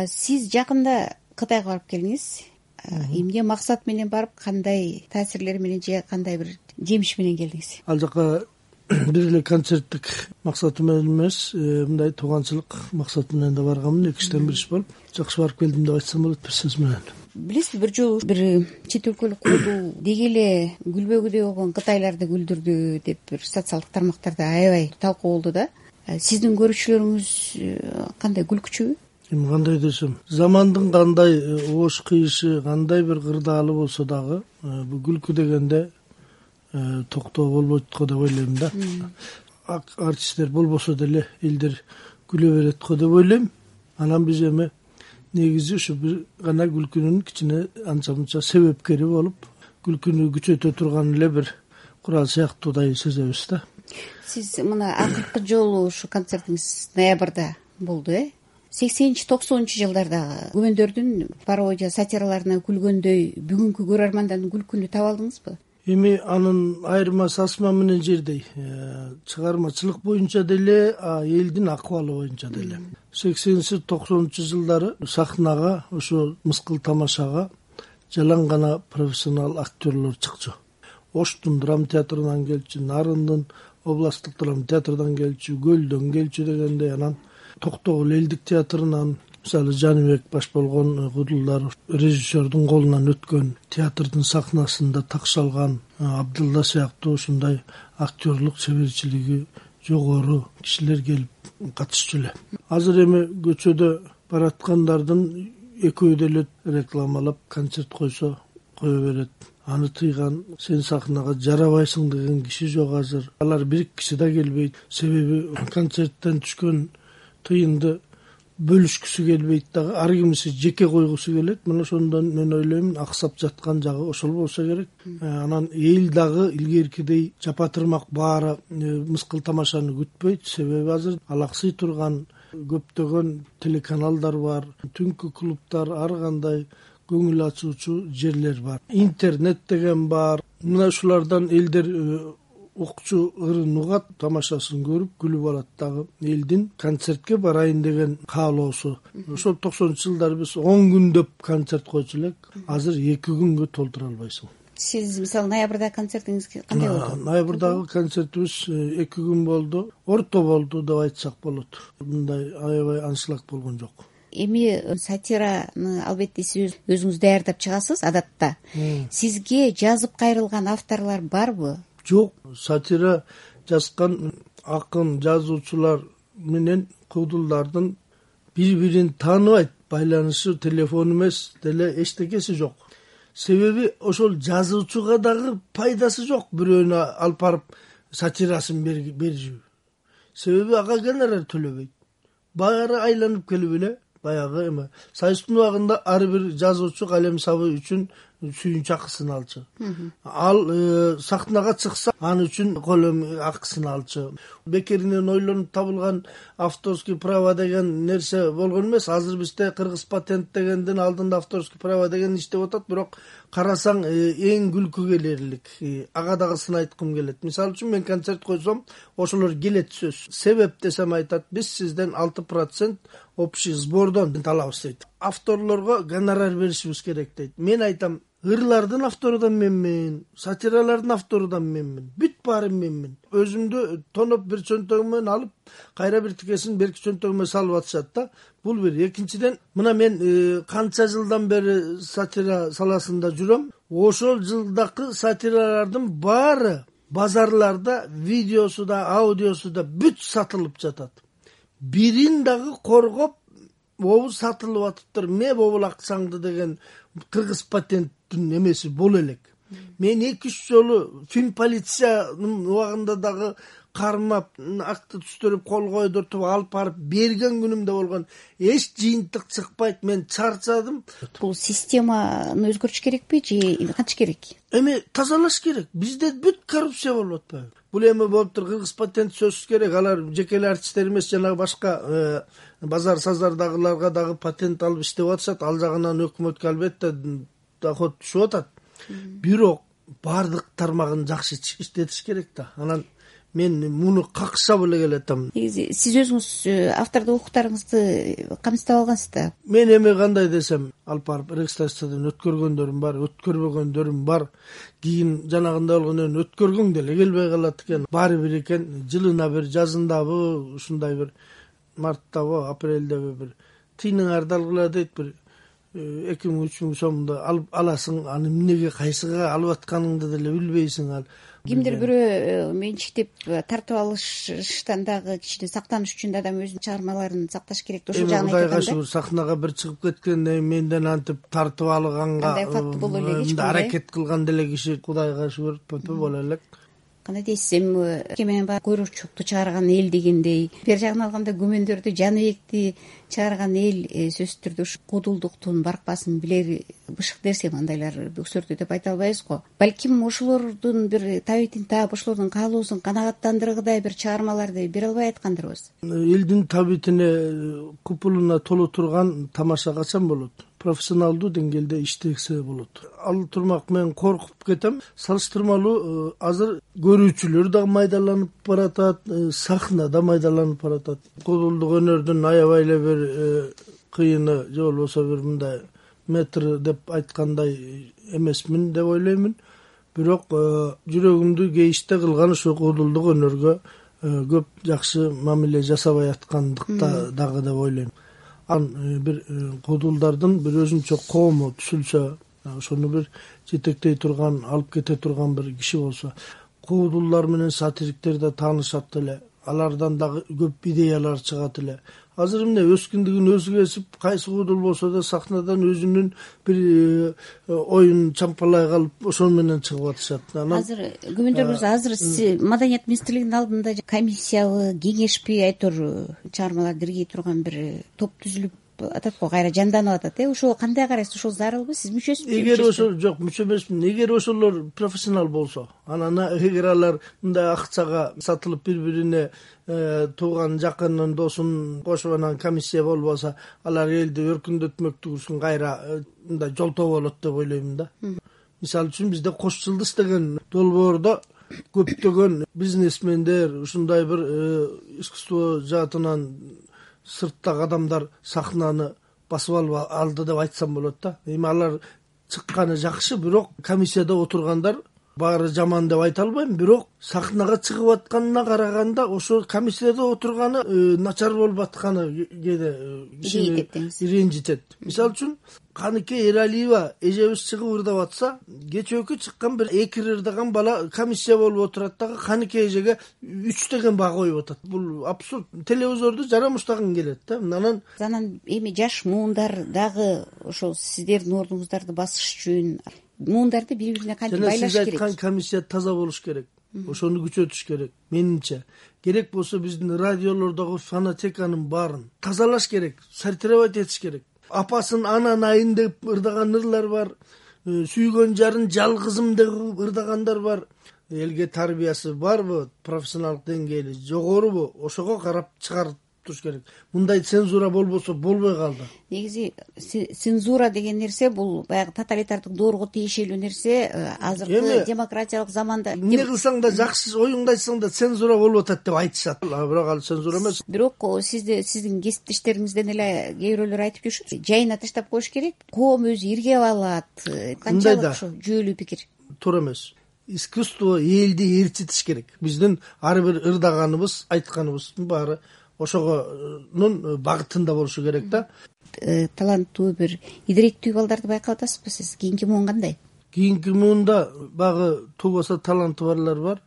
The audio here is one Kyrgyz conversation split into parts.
Сиз жакында Кытайга барып келдиңиз. Эмне максат менен барып, кандай таасирлер менен же кандай бир жемиш менен келдиңиз? Ал жака бир эле концерттик максаты менен эмес, мындай тууганчылык максаты менен да барганмын. Экиштен бир иш болуп, жакшы барып келдим деп айтсам болот бир сөз менен. Билесизби, бир жолу бир чет өлкөлүк куудул деги эле гүлбөгүдөй болгон кытайларды күлдүрдү деп бир социалдык тармактарда аябай талкуу болду да. Сиздин көрүүчүлөрүңүз кандай, күлкүчүбү? Эми кандай десем, замандын кандай оош кыйышы, кандай бир кырдаалы болсо дагы, бул күлкү дегенде токтоо болбойт го деп ойлойм да. Артисттер болбосо деле элдер күлө берет го деп ойлойм. Анан биз эми негизи ушу бир гана күлкүнүн кичине анча мынча себепкери болуп, күлкүнү күчөтө турган эле бир курал сыяктуудай сезебиз да. Сиз мына акыркы жолу ушу концертиңиз ноябрда болду, 80-90 жылдардагы күмөндөрдүн пародия сатираларына күлгөндөй бүгүнкү көрөрмандардын күлкүнү таба алдыңызбы? Эми анын айырмасы асма менен жердей. Чыгармачылык боюнча деле, элдин акыбалы боюнча деле. 80-90 жылдары сахнага, ошо мыскыл тамашага жалаң гана профессионал актерлор чыкчу. Оштун драма театрынан келчү, Нарындын областтык драма театрынан келчү, Көлдөн келчү дегендей, анан Токтогул элдик театрынан, мисалы Жаныбек баш болгон кудулдар, режиссердун колунан өткөн, театрдын сахнасында такшалган Абдылла сыяктуу ушундай актерлук чеберчилиги жогору кишилер келип катышчу эле. Азыр эми көчөдө бараткандардын экөө деле рекламалап концерт койсо кое берет. Аны тыйган, сен сахнага жарабайсың деген киши жок азыр. Алар бир киши да келбейт. Себеби концерттен түшкөн тыйынды бөлүшкүсү келбейт дагы, ар кимиси жеке койгусу келет. Мына ошондон мен ойлойм, аксап жаткан жагы ошол болсо керек. Анан эл дагы илгеркидей жапатырмак баары мыскыл тамашаны күтпөйт. Себеби азыр алаксый турган көптөгөн телеканалдар бар, түнкү клубтар, ар кандай көңүл ачуучу жерлер бар. Интернет деген бар. Мына ушулардан элдер укчу ырын угат, тамашасын көрүп күлүп алат дагы. Элдин концертке барайын деген каалоосу. Ошол 90 жылдары биз 10 күндөп концерт койчу элек. Азыр 2 күнгө толтура албайсың. Сиз мисалы ноябрда концертиңиз кандай болду? Ноябрдагы концертибиз 2 күн болду. Орто болду деп айтсак болот. Мындай аябай аншлаг болгон жок. Эми сатираны албетте сиз өзүңүз даярдап чыгасыз адатта. Сизге жазып кайрылган авторлор барбы? Жок, сатира жазган акын, жазуучулар менен кудулдардын бири-бирин тааныбайт, байланышы телефон эмес деле эчтекеси жок. Себеби ошол жазуучуга дагы пайдасы жок бирөөнү алып барып сатирасын берүү. Себеби ага гонорар төлөбөйт. Баары айланып келип эле баягы эме Союздун убагында ар бир жазуучу калем сабы үчүн сүйүнч акысын алчу. Ал сахнага чыкса, аны үчүн колем акысын алчу. Бекеринен ойлонуп табылган авторский право деген нерсе болгон эмес. Азыр бизде кыргыз патент дегендин алдында авторский право деген иштеп атат, бирок карасаң эң күлкү келерлик. Ага дагысын айткым келет. Мисалы үчүн мен концерт койсом, ошолор келет сөз. Себеп десем айтат, биз сизден 6% общий сбордон талабыз дейт. Авторлорго гонорар беришибиз керек дейт. Мен айтам, ырлардын автору да менмин, сатиралардын автору да менмин, бүт баары менмин. Өзүмдү тоноп бир чөнтөгүмөн алып, кайра бир тикесин берки чөнтөгүмө салып атышат да. Бул бир. Экинчиден, мына мен канча жылдан бери сатира саласында жүрөм. Ошол жылдакы сатиралардын баары базарларда видеосу да, аудиосу да бүт сатылып жатат. Бирин дагы коргоп, обу сатылып атыптыр, ме бобул акчаңды деген кыргыз патенттин эмеси боло элек. Мен 2-3 жолу фильм полициянын убагында дагы кармап, акты түстөрүп, кол койдуртуп алып барып берген күнүм да болгон. Эч жыйынтык чыкпайт, мен чарчадым. Бул системаны өзгөртүш керекпи же кантип керек? Эми тазалаш керек. Бизде бүт коррупция болуп атпайбы? Бул эми болуптур, кыргыз патент сөзсүз керек. Алар жеке эле артисттер эмес, жана башка базар сазардагыларга дагы патент алып иштеп атышат. Ал жагынан өкмөткө албетте доход түшүп атат. Бирок бардык тармагын жакшы иштетиш керек да. Анан мен муну какшап эле келатам. Негизи сиз өзүңүз автордук укуктарыңызды камсыздап алгансыз да. Мен эми кандай десем, алып барып рекстациядан өткөргөндөрүм бар, өткөрбөгөндөрүм бар. Кийин жанагындай болгондон өткөргөң деле келбей калат экен. Баары бир экен, жылына бир, жазындабы, ушундай бир марттабы, апрелдеби бир тыйныңарды алгыла дейт, бир 2000-3000 сомду алып аласың. Аны эмнеге, кайсыга алып атканыңды деле билбейсиң. Ал кимдир бирөө менчиктеп тартып алыштан дагы кичине сактаныш үчүн адам өзүнүн чыгармаларын сакташ керек да, ошол жагын айтканда. Кудайга шүгүр, сахнага бир чыгып кеткенде менден антип тартып алганга андай факт боло элек, эч аракет кылган деле киши Кудайга шүгүр пөпө боло элек. Кандай дейсиз, эми менен баягы Койрокчукту чыгарган эл дегендей, бер жагынан алганда Күмөндөрдү, Жаныбекти чыгарган эл сөзсүз түрдө ушу куудулдуктун баркпасын билер бышык нерсе мындайлар өксөрдү деп айта албайбыз го. Балким ошолордун бир табитин таап, ошолордун каалоосун канагаттандыргыдай бир чыгармаларды бере албай аткандырбыз. Элдин табитине, купулуна толо турган тамаша качан болот? Профессионалдуу деңгээлде иштесе болот. Ал турмак мен коркуп кетем. Салыштырмалуу азыр көрүүчүлөр да майдаланып баратат, сахна да майдаланып баратат. Куудулдук өнөрдүн аябай эле бир кыйыны, же болбосо бир мындай метр деп айткандай эмесмин деп ойлоймун. Бирок жүрөгүмдү кейиште кылган ошо куудулдук өнөргө көп жакшы мамиле жасабай аткандыкта дагы деп ойлойм. Бир куудулдардын бир өзүнчө коому түзүлсө, ошону бир жетектей турган, алып кете турган бир киши болсо, куудулдар менен сатириктер да таанышат эле, алардан дагы көп идеялар чыгат эле. Азыр эмне өскүндүгүн өзү кесип, кайсы куудул болсо да сахнадан өзүнүн бир оюн чампалай калып, ошол менен чыгып атышат. Азыр Күмөндөр азыр Маданият министрлигинин алдында комиссиябы, кеңешпи айтор чыгармаларды иргей турган бир топ түзүлүп атат го, кайра жанданып атат. Ошого кандай карайсыз? Ошол зарылбы? Сиз мүчөсүзбү? Эгер ошол жок, мүчө эмесмин. Эгер ошолор профессионал болсо, анан эгер алар мындай акчага сатылып бири-бирине тууган жакынын досун кошуп анан комиссия болбосо, алар элди өркүндөтмөктүк үчүн кайра мындай жолтоо болот деп ойлоймун да. Мисалы үчүн бизде Кош Жылдыз деген долбоордо көптөгөн бизнесмендер, ушундай бир искусство жаатынан сырттагы адамдар сахнаны басып алып алды деп айтсам болот да. Эми алар чыкканы жакшы, бирок комиссияда отургандар баары жаман деп айта албайм, бирок сахнага чыгып атканына караганда ошо комиссияда отурганы начар болуп атканы кээде кишини ренжитет. Мисалы үчүн Каныке Эралиева эжебиз чыгып ырдап атса, кечөөкү чыккан бир 2 ырдаган бала комиссия болуп отурат дагы Каныке эжеге 3 деген баа коюп атат. Бул абсурд. Телевизорду жарамыштаган келет да. Анан эми жаш муундар дагы ошол сиздердин ордуңуздарды басыш үчүн муундарды бири-бирине кантип байлаш керек? Сиз айткан комиссия таза болуш керек. Ошону күчөтүш керек. Менимче керек болсо биздин радиолордогу фонотеканын баарын тазалаш керек, сортировать этиш керек. Апасын анан айын деп ырдаган ырлар бар, сүйгөн жарын жалгызым деп ырдагандар бар. Элге тарбиясы барбы, профессионалдык деңгээли жогорубу, ошого карап чыгарып туруш керек. Мындай цензура болбосо болбой калды. Негизи цензура деген нерсе бул баягы тоталитардык доорго тиешелүү нерсе. Азыркы демократиялык заманда эмне кылсаң да жакшы оюңду айтсаң да цензура болуп атат деп айтышат. Бирок ал цензура эмес. Бирок сиздин кесиптештериңизден эле кээ бирөөлөр айтып жүрүшөт. Жайына таштап коюш керек. Коом өзү иргеп алат. Канчалык ошо жүйөлүү пикир? Туура эмес. Искусство элди ээрчитиш керек. Биздин ар бир ырдаганыбыз, айтканыбыздын баары ошогонун багытында болушу керек да. Таланттуу бир идиректүү балдарды байкап атасызбы сиз? Кийинки муун кандай? Кийинки муунда багы тубаса таланты барлар бар,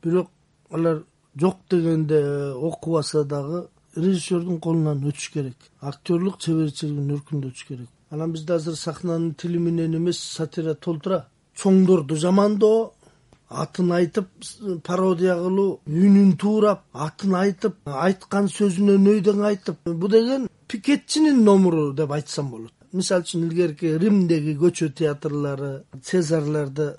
бирок алар жок дегенде окубаса дагы режиссердун колунан өтүш керек. Актерлук чеберчилигин өркүндөтүш керек. Анан бизде азыр сахнанын тили менен эмес сатира толтура. Чоңдорду жамандоо, атын айтып пародия кылуу, үнүн туурап, атын айтып, айткан сөзүнө нөйдөң айтып, бу деген пикетчинин номуру деп айтсам болот. Мисалы үчүн илгерки Римдеги көчө театрлары, Цезарларды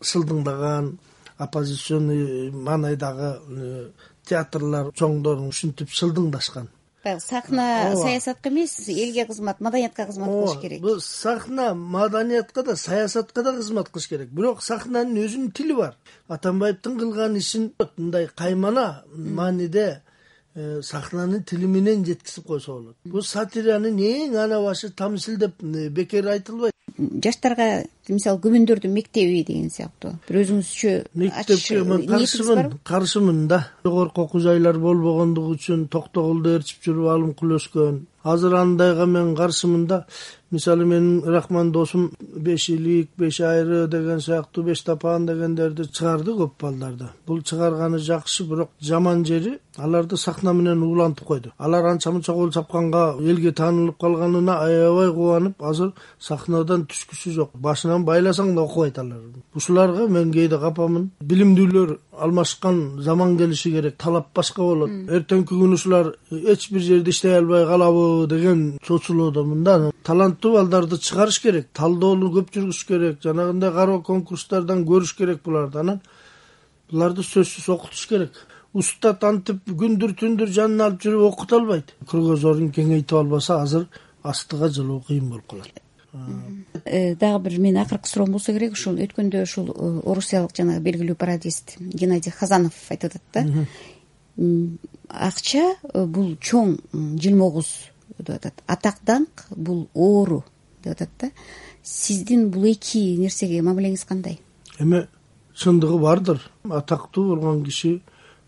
шылдыңдаган, оппозиционный маанайдагы театрлар чоңдорун ушинтип шылдыңдашкан. баягы сахна саясатка эмес, элге кызмат, маданиятка кызмат кылыш керек. Бул сахна маданиятка да, саясатка да кызмат кылыш керек. Бирок сахнанын өзүнүн тили бар. Атамбаевдин кылган ишин мындай каймана мааниде сахнанын тили менен жеткизип койсо болот. Бул сатиранын эң ана башы тамсил деп бекер айтылбайт. Жаштарга мисалы күбөндөрдүн мектеби деген сыяктуу бир өзүңүзчө мектепке мен каршымын да. Жогорку окуу жайлар болбогондугу үчүн токтогулду ээрчип жүрүп алым кылып өскөн. Азыр андайга мен каршымын да. Мисалы менин Рахман досум 5 илик, 5 айры деген сыяктуу 5 тапан дегендерди чыгарды көп балдарды. Бул чыгарганы жакшы, бирок жаман жери аларды сахна менен уулантып койду. Алар анча-мынча кол чапканга элге таанылып калганына аябай кубанып, азыр сахнадан түшкүсү жок. Башынан байласаң да окубайт алар. Ушуларга мен кээде капамын. Билимдүүлөр алмашкан заман келиши керек. Талап башка болот. Эртеңки күнү ушулар эч бир жерде иштей албай калабы деген чочулуудамын да. Таланттуу балдарды чыгарыш керек, талдоону көп жүргүзүш керек, жанагындай кароо конкурстардан көрүш керек буларды. Анан буларды сөзсүз окутуш керек. Устат антип күндүр түндүр жанына алып жүрүп окута албайт. Кругозорун кеңейтип албаса, азыр астыга жылуу кыйын болуп калат. Дагы бир менин акыркы суроом болсо керек. Ушул өткөндө ушул орусиялык жанагы белгилүү пародист Геннадий Хазанов айтып атат да. Акча бул чоң жылмогуз деп атат. Атак даңк бул оору деп атат да. Сиздин бул эки нерсеге мамилеңиз кандай? Эми чындыгы бардыр. Атактуу болгон киши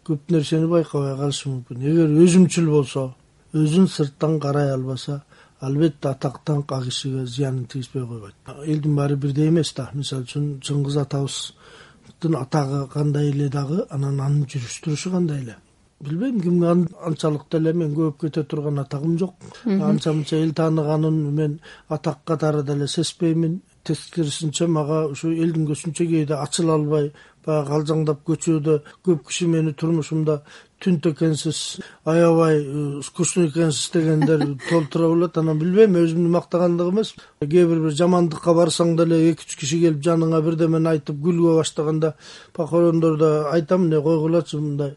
көп нерсени байкабай калышы мүмкүн. Эгер өзүмчүл болсо, өзүн сырттан карай албаса, албетте атак даңк ал кишиге зыянын тийгизбей койбойт. Элдин баары бирдей эмес да. Мисалы үчүн Чыңгыз атабыздын атагы кандай эле дагы, анан анын жүрүш турушу кандай эле. Билбейм, кимге анчалык деле мен көп кете турган атагым жок. Анча-мынча эл тааныганын мен атак катары деле сезбеймин. Тескерисинче мага ушу элдин көзүнчө кээде ачыла албай, баягы калжаңдап көчөдө көп киши мени турмушумда түнт экенсиз, аябай скучный экенсиз дегендер толтура болот. Анан билбейм, өзүмдү мактагандык эмес. Кээ бир жамандыкка барсаң деле 2-3 киши келип жаныңа бирдемени айтып күлгө баштаганда, похорондордо айтам, не койгулачы мындай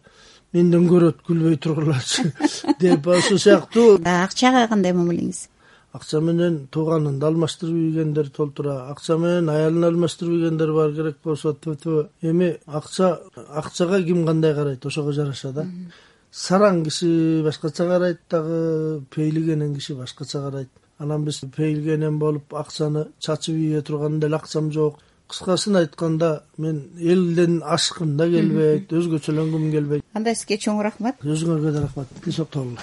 менден көрөт, күлбөй тургулачы деп ошол сыяктуу. Акчага кандай мамилеңиз? Акча менен тууганын алмаштырып ийгендер толтура, акча менен аялын алмаштырып ийгендер бар, керек болсо эми акчага ким кандай карайт, ошого жараша да. Сараң киши башкача карайт дагы, пейлигенен киши башкача карайт. Анан биз пейлигенен болуп акчаны чачып ийе турган деле акчам жок. Кыскасын айтканда, мен элден ашкым да келбейт, өзгөчөлөнгүм келбейт. Анда сизге чоң рахмат. Өзүңөргө да рахмат. Тинч токтогула.